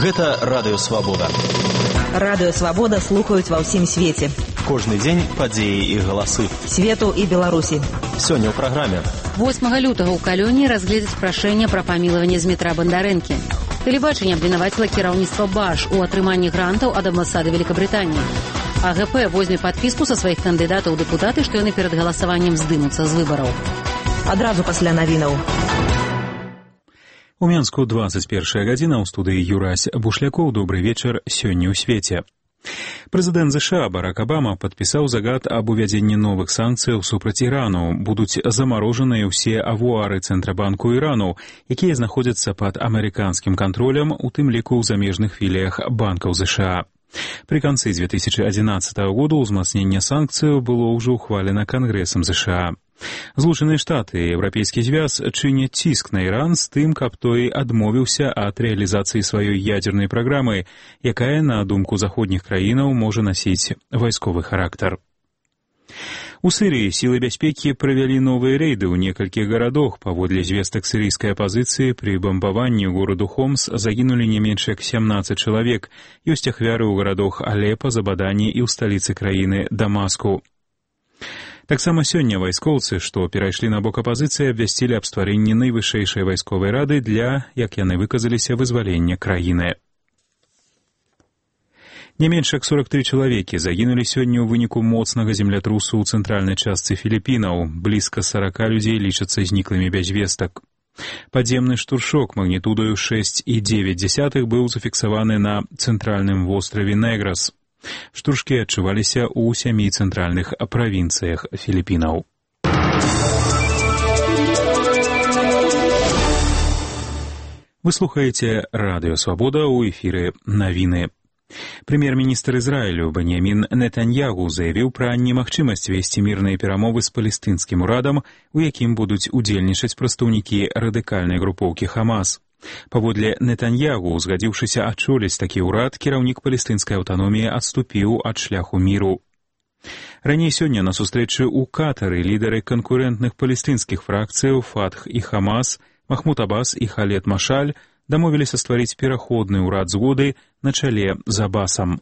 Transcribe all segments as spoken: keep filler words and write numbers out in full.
Гэта Радыё Свабода. Радыё Свабода слухаюць ва ўсім свеце. Кожны дзень падзеі і галасы. Свету і Беларусі. Сёння ў праграме. восьмага лютага ў Калёні разгледзяць прашэнне пра памілаванне Змітра Бандарэнкі. Тэлебачанне абвінаваціла кіраўніцтва Баш у атрыманні грантаў ад амбасады Великабрытаніі. А гэ пэ возьме падпіску са сваіх кандыдатаў у дэпутаты, што яны перад галасаваннем здымуцца з выбараў. Адразу пасля навінаў. У Менску двадцать первая гадзіна, ў студыі Юрась Бушлякоў. Добрый вечар, сёння ў свеце. Прэзідэнт ЗША Барак Абама падпісаў загад аб увядзенні новых санкцыяў супраць Ірану. Будуць замарожаныя ўсе авуары Цэнтрабанку Ірану, якія знаходзяцца пад амерыканскім кантролем, у тым ліку ў замежных філіях банкаў ЗША. Пры канцы две тысячи одиннадцатого года ўзмацненне санкцыяў было ўжо ўхвалена Кангрэсам ЗША. Злучаныя Штаты і Еўрапейскі звяз чыняць ціск на Іран з тым, каб той адмовіўся ад рэалізацыі сваёй ядзернай праграмы, якая, на думку заходніх краінаў, можа насіць вайсковы характар. У Сырыі сілы бяспекі правялі новыя рэйды ў некалькіх гарадах. Паводле звестак сірыйскай апазіцыі, пры бамбаванні гораду Хомс загінулі не менш як семнадцать чалавек. Ёсць ахвяры ў гарадах Алепа, Забадані і ў сталіцы краіны Дамаску. Таксама сёння вайскоўцы, што перайшлі на бок апазіцыі, абвясцілі аб стварэнні найвышэйшай вайсковай рады для, як яны выказаліся, вызвалення краіны. Не менш як сорок три чалавекі загінулі сёння ў выніку моцнага землятрусу ў цэнтральнай частцы Філіпінаў. Блізка сорока людзей лічацца зніклымі без вестак. Падземны штуршок магнітудаю шесть і девять десятых быў зафіксаваны на цэнтральным востраве Неграс. Штуршкі адчуваліся ў сямі цэнтральных правінцыях Філіпінаў. Вы слухаеце Радыё Свабода, ў эфіры навіны. Прэм'ер-міністр Ізраілю Беньямін Нетаньягу заявіў пра немагчымасць весці мірныя перамовы з палестынскім урадам, у якім будуць удзельнічаць прадстаўнікі радыкальнай групоўкі Хамас. Паводле Нетаньягу, згадзіўшыся ачоліць такі ўрад, кіраўнік палестынскай аўтаноміі адступіў ад шляху міру. Раней сёння на сустрэчы ў Катары лідары канкурэнтных палестынскіх фракцыяў Фатх і Хамас, Махмуд Аббас і Халед Машаль дамовіліся стварыць пераходны ўрад згоды на чале з Аббасам.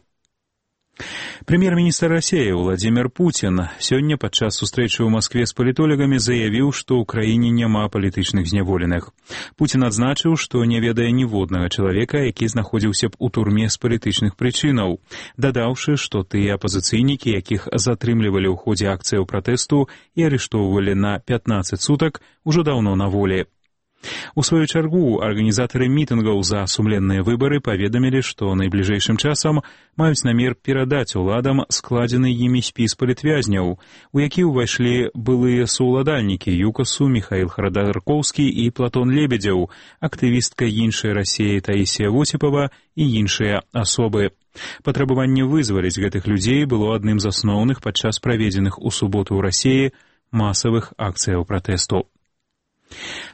Прэм'ер-міністр Расіі Владзімір Пуцін сёння падчас сустрэчы ў Маскве з палітолагамі заявіў, што ў краіне няма палітычных зняволеных. Пуцін адзначыў, што не ведае ніводнага чалавека, які знаходзіўся б у турме з палітычных прычынаў, дадаўшы, што тыя апазіцыйнікі, якіх затрымлівалі ў ходзе акцыяў пратэсту і арыштоўвалі на пятнадцать сутак, ужо даўно на волі. У сваю чаргу арганізатары мітынгаў за сумленныя выбары паведамілі, што найбліжэйшым часам маюць намер перадаць уладам складзены імі спіс палітвязняў, у які ўвайшлі былыя саўладальнікі ЮКАСу Міхаіл Харадаркоўскі і Платон Лебедзеў, актывістка іншай Расіі Таісія Восіпава і іншыя асобы. Патрабаванне вызваліць гэтых людзей было адным з асноўных падчас праведзеных у суботу ў Расіі масавых акцыяў пратэсту.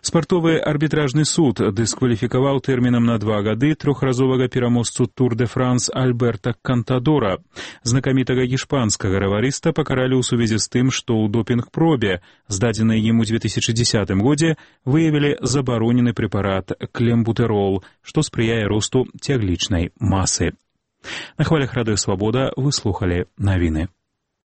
Спартовы арбітражны суд дыскваліфікаваў тэрмінам на два гады трохразовага пераможцу Тур де Франс Альберта Кантадора. Знакамітага гішпанскага раварыста пакаралі ў сувязі з тым, што ў допінг-пробе, здадзенай ім у две тысячи десятым годзе, выявілі забаронены прэпарат клембутэрол, што спрыяе росту цяглічнай масы. На хвалях Радыё Свабода вы слухалі навіны.